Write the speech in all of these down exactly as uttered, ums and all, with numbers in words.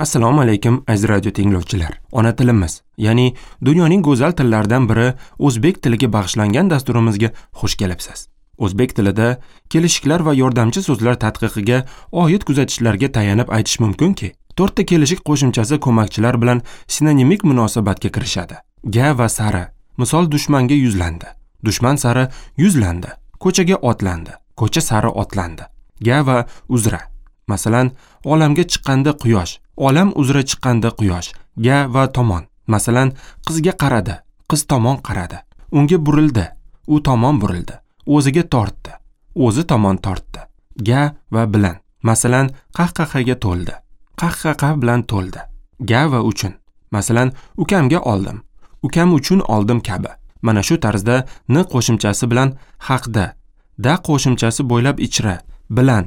Assalomu alaykum aziz radio tinglovchilar. Ona tilimiz, ya'ni dunyoning go'zal tillaridan biri o'zbek tiliga bag'ishlangan dasturimizga xush kelibsiz. O'zbek tilida kelishiklar va yordamchi so'zlar tadqiqiga oid kuzatishlarga tayanib aytish mumkinki, to'rtta kelishik qo'shimchasi ko'makchilar bilan sinonimik munosabatga kirishadi. Ga va sari. Misol, dushmanga yuzlandi. Dushman sari yuzlandi. Ko'chaga otlandi. Ko'cha sari otlandi. Ga va uzra. Masalan, olamga chiqqanda quyosh, olam uzra chiqqanda quyosh. Ga va tomon. Masalan, qizga qaradi, qiz tomon qaradi. Unga burildi, u tomon burildi. O'ziga tortdi, o'zi tomon tortdi. Ga va bilan. Masalan, qahqahaga to'ldi, qahqaha bilan to'ldi. Ga va uchun. Masalan, ukamga oldim, ukam uchun oldim kabi. Mana shu tarzda n qo'shimchasi bilan haqda, da qo'shimchasi bo'ylab ichra, bilan,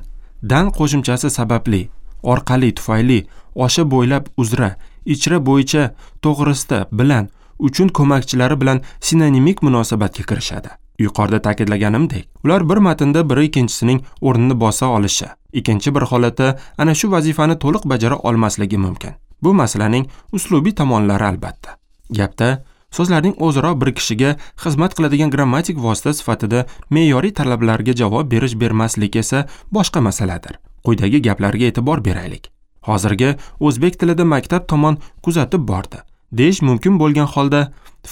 dan qo'shimchasi sababli, orqali, tufayli, osha bo'ylab uzra, ichra bo'yicha, to'g'risida, bilan, uchun ko'makchilari bilan sinonimik munosabatga kirishadi. Yuqorida ta'kidlaganimdek, ular bir matnda biri ikkinchisining o'rnini bosa olishi, ikkinchi bir holatda ana shu vazifani to'liq bajara olmasligi mumkin. Bu masalaning uslubiy tomonlari albatta. Gapda so'zlarning o'zaro bir kishiga xizmat qiladigan grammatik vosita sifatida me'yoriy talablarga javob berish bermaslik esa boshqa masaladir. Quyidagi gaplarga e'tibor beraylik. Hozirgi o'zbek tilida maktab tomon kuzatib bordi deyish mumkin bo'lgan holda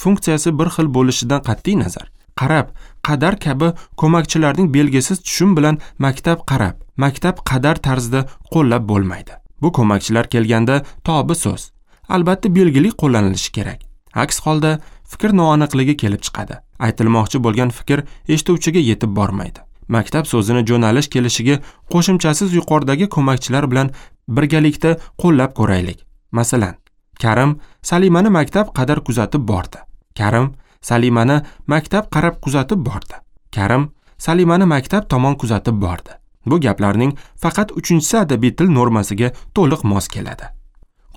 funksiyasi bir xil bo'lishidan qat'iy nazar, qarab, qadar kabi ko'makchilarning belgisiz tushum bilan maktab qarab, maktab qadar tarzida qo'llab bo'lmaydi. Bu ko'makchilar kelganda tobi so'z albatta belgili qo'llanilishi kerak. Aks holda fikr noaniqligi kelib chiqadi. Aytilmoqchi bo'lgan fikr eshituvchiga yetib bormaydi. Maktab so'zini jo'nalish kelishiga qo'shimchasiz yuqoridagi ko'makchilar bilan birgalikda qo'llab ko'raylik. Masalan, Karim Salimani maktab qadar kuzatib bordi. Karim Salimani maktab qarab kuzatib bordi. Karim Salimani maktab tomon kuzatib bordi. Bu gaplarning faqat uchinchisi adabiy til normasiga to'liq mos keladi.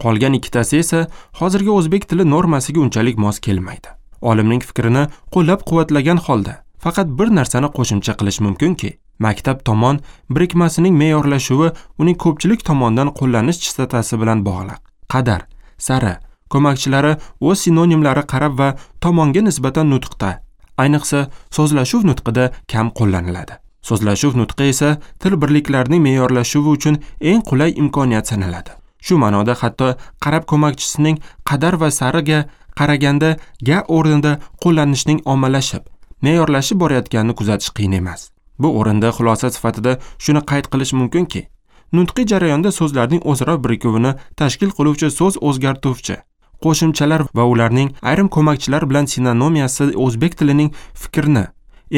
Qolgan ikkitasi esa hozirgi o'zbek tili normasiga unchalik mos kelmaydi. Olimning fikrini qo'llab-quvvatlagan holda faqat bir narsani qo'shimcha qilish mumkinki, maktab tomon birikmasining me'yorlashuvi uning ko'pchilik tomonidan qo'llanish chistotasi bilan bog'liq. Qadar, sari ko'makchilari o'z sinonimlari qarab va tomonga nisbatan nutqda, ayniqsa so'zlashuv nutqida kam qo'llaniladi. So'zlashuv nutqi esa til birliklarining me'yorlashuvi uchun eng qulay imkoniyat sanaladi. Shu ma'noda hatto qarab ko'makchisining qadar va sariga qaraganda ga o'rnida qo'llanishning ommalashib, me'yorlashib borayotganini kuzatish qiyin emas. Bu o'rinda xulosa sifatida shuni qayd qilish mumkinki, nutqiy jarayonda so'zlarning o'zaro birikuvini tashkil qiluvchi so'z o'zgartuvchi qo'shimchalar va ularning ayrim ko'makchilar bilan sinonomiyasi o'zbek tilining fikrni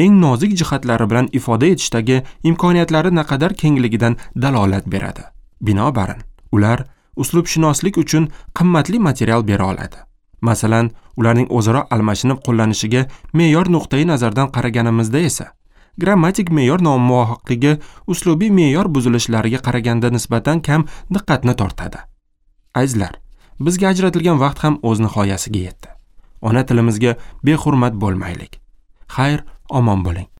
eng nozik jihatlari bilan ifoda etishdagi imkoniyatlari naqadar kengligidan dalolat beradi. Binobarin, ular uslubshunoslik uchun qimmatli material bera oladi. Masalan, ularning o'zaro almashinib qo'llanishiga me'yor nuqtai nazardan qaraganimizda esa grammatik me'yor nomuvofiqligi uslubiy me'yor buzilishlariga qaraganda nisbatan kam diqqatni tortadi. Azizlar, bizga ajratilgan vaqt ham o'z nihoyasiga yetdi. Ona tilimizga behurmat bo'lmaylik. Xayr, omon bo'ling.